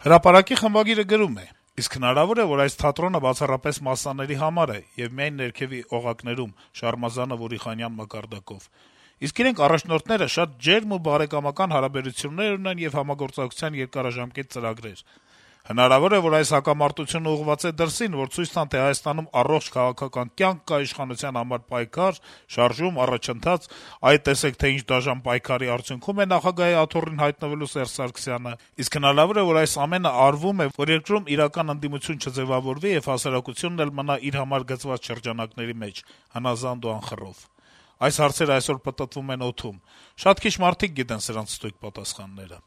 Հրապարակի խմբագիրը գրում է. - «Իսկ հնարավոր է, որ այս թատրոնը բացառապես մասսաների համար է եւ միայն ներքեւի օղակներում Շարմազանով, Ուրիխանյան մակարդակով: Իսկ իրենք առաջնորդները շատ ջերմ ու բարեկամական հարաբերություններ ունեն եւ համագործակցության երկարաժամկետ ծրագրեր: Հնարավոր է, որ այս հակամարտությունը ուղղված է դրսին, որ ցույց տան, թե Հայաստանում առողջ քաղաքական կյանք կա, իշխանության համար պայքար, շարժում, առաջընթաց, այ տեսեք, թե ինչ դաժան պայքարի արդյունքում է նախագահի աթոռին հայտնվելու Սերժ Սարգսյանը: Իսկ հնարավոր է, որ այս ամենը արվում է, որ երկրում իրական ընդդիմություն չձեւավորվի եւ հասարակությունն էլ մնա իր համար գծված շրջանակների մեջ, հնազանդ ու անխռով: Այս հարցերը այսօր պտտվում են օդում: Շատ քիչ մարդիկ գիտեն սրանց ստույգ պատասխանները»: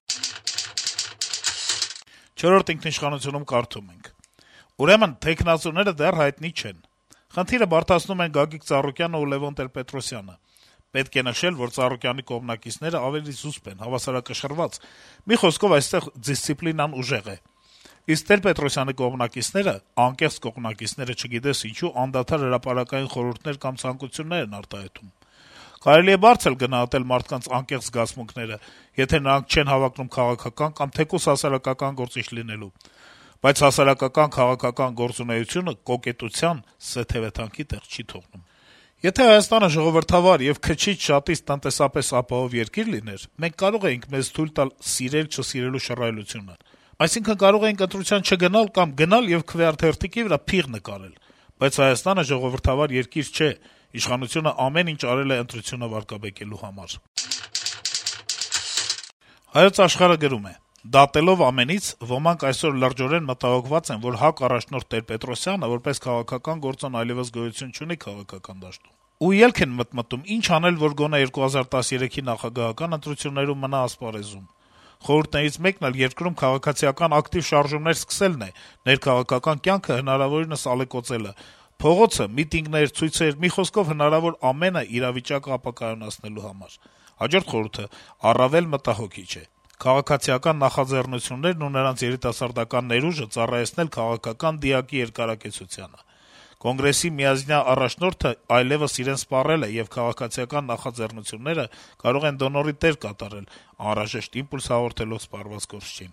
«Չորրորդ ինքնիշխանություն»-ում կարդում ենք. - «Ուրեմն թեկնածուները դեռ հայտնի չեն: Խնդիրը բարդացնում են Գագիկ Ծառուկյանը ու Լեւոն Տեր-Պետրոսյանը: Պետք է նշել, որ Ծառուկյանի կողմնակիցները ավելի զուսպ են, հավասարակշռված, մի խոսքով, այստեղ դիսցիպլինան ուժեղ է: Իսկ Տեր-Պետրոսյանի կողմնակիցները, անկեղծ կողմնակիցները, չգիտես ինչու, անդադար հրապարակային խորհուրդներ կամ ցանկություններ են արտահայտում: Կարելի է բարձր գնահատել մարդկանց անկեղծ զգացմունքները, եթե նրանք չեն հավակնում քաղաքական կամ թեկուզ հասարակական գործիչ լինելու: Բայց հասարակական-քաղաքական գործունեությունը կոկետության, սեթեւեթանքի տեղ չի թողնում: Եթե Հայաստանը ժողովրդավար եւ քչից-շատից տնտեսապես ապահով երկիր լիներ, մենք կարող էինք մեզ թույլ տալ սիրել-չսիրելու շռայլությունը: Այսինքն` կարող էինք ընտրության չգնալ կամ գնալ եւ քվեարկղերթիկի վրա փիղ նկարել: Բայց Հայաստանը ժողովրդավար երկիր չէ, իշխանությունը ամեն ինչ արել է ընտրությունը վարկաբեկելու համար»: «Հայոց Աշխարհ»-ը գրում է. - «Դատելով ամենից` ոմանք այսօր լրջորեն մտահոգված են, որ ՀԱԿ առաջնորդ Տեր-Պետրոսյանը, որպես քաղաքական գործոն, այլեւս գոյություն չունի քաղաքական դաշտում: Ու ելք են մտմտում` ինչ անել, որ գոնե 2013-ի նախագահական ընտրություններում մնա ասպարեզում: Խորհուրդներից մեկն էլ երկրում քաղաքացիական ակտիվ շարժումներ սկսելն է, ներքաղաքական կյանքը հնարավորինս ալեկոծելը, փողոցը, միտինգներ, ցույցեր, մի խոսքով, հնարավոր ամենը իրավիճակը ապակայունացնելու համար: Հաջորդ խորհուրդը առավել մտահոգիչ է. քաղաքացիական նախաձեռնություններն ու նրանց երիտասարդական ներուժը ծառայեցնել քաղաքական դիակի երկարակեցությանը: Կոնգրեսի միաձնյա առաջնորդը այլեւս իրեն սպառել է, եւ քաղաքացիական նախաձեռնությունները կարող են դոնորի դեր կատարել` անհրաժեշտ իմպուլս հաղորդելով սպառված կորստչին»: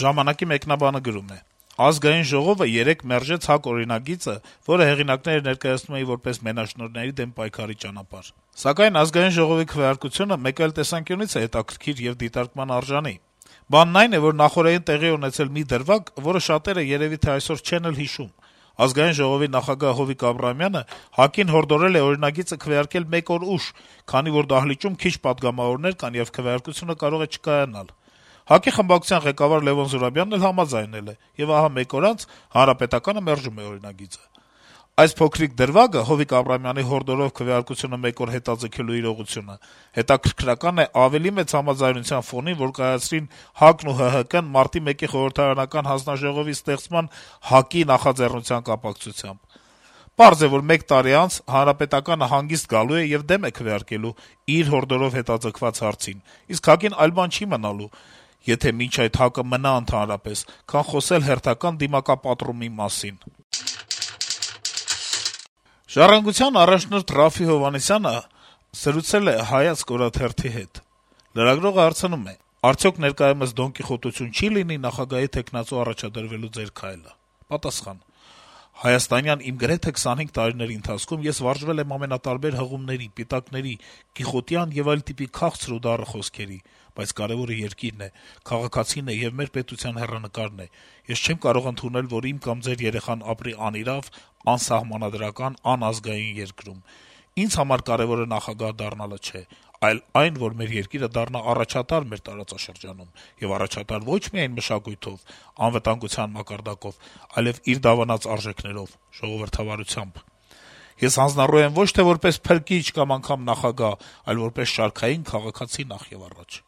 «Ժամանակ»-ի մեկնաբանը գրում է. - «Ազգային ժողովը երեկ մերժեց ՀԱԿ օրինագիծը, որը հեղինակները ներկայացնում էին որպես մենաշնորհների դեմ պայքարի ճանապարհ: Սակայն Ազգային ժողովի քվեարկությունը մեկ այլ տեսանկյունից է հետաքրքիր եւ դիտարկման արժանի: Բանն այն է, որ նախօրեին տեղի է ունեցել մի դրվագ, որը շատերը երեւի թե այսօր չեն էլ հիշում: Ազգային ժողովի նախագահ Հովիկ Աբրահամյանը ՀԱԿ-ին հորդորել է օրինագիծը քվեարկել մեկ օր ուշ, քանի որ դահլիճում քիչ պատգամավորներ կան, եւ քվեարկությունը կարող է չկայանալ: ՀԱԿ-ի խմբակցության ղեկավար Լեւոն Զուրաբյանն էլ համաձայնել է, եւ ահա մեկ օր անց Հանրապետականը մերժում է օրինագիծը: Այս փոքրիկ դրվագը` Հովիկ Աբրահամյանի հորդորով քվեարկությունը մեկ օր հետաձգելու իրողությունը, հետաքրքրական է ավելի մեծ համաձայնության ֆոնին, որ կայացրին ՀԱԿ-ն ու ՀՀԿ-ն մարտի 1-ի խորհրդարանական հանձնաժողովի ստեղծման ՀԱԿ-ի նախաձեռնության կապակցությամբ: Պարզ է, որ մեկ տարի անց Հանրապետականը հանգիստ գալու է եւ դեմ է քվեարկելու իր հորդորով հետաձգված հարցին, իսկ ՀԱԿ-ին այլ բան չի մնալու, եթե մինչ այդ ՀԱԿ-ը մնա ընդհանրապես, քան խոսել հերթական դիմակապատրումի մասին»: «Ժառանգության» առաջնորդ Րաֆֆի Հովհաննիսյանը զրուցել է «Հայացք» օրաթերթի հետ: Լրագրողը հարցնում է. - «Արդյոք ներկայումս դոնկիխոտություն չի լինի նախագահի թեկնածու առաջադրվելու ձեր քայլը»: Պատասխան. - «Հայաստանյան իմ գրեթե 25 տարիների ընթացքում ես վարժվել եմ ամենատարբեր հղումների, պիտակների, կիխոտյան եւ այլ տիպի քաղցր ու դառը խոսքերի: Բայց կարեւորը երկիրն է, քաղաքացին է եւ մեր պետության հեռանկարն է: Ես չեմ կարող ընդունել, որ իմ կամ ձեր երեխան ապրի անիրավ, անսահմանադրական, անազգային երկրում: Ինձ համար կարեւորը նախագահ դառնալը չէ, այլ այն, որ մեր երկիրը դառնա առաջատար մեր տարածաշրջանում, եւ առաջատար ոչ միայն մշակույթով, անվտանգության մակարդակով, այլեւ իր դավանած արժեքներով, ժողովրդավարությամբ: Ես հանձնառու եմ ոչ թե որպես փրկիչ կամ անգամ նախագահ, այլ որպես շարքային քաղաքացի նախ եւ առաջ»: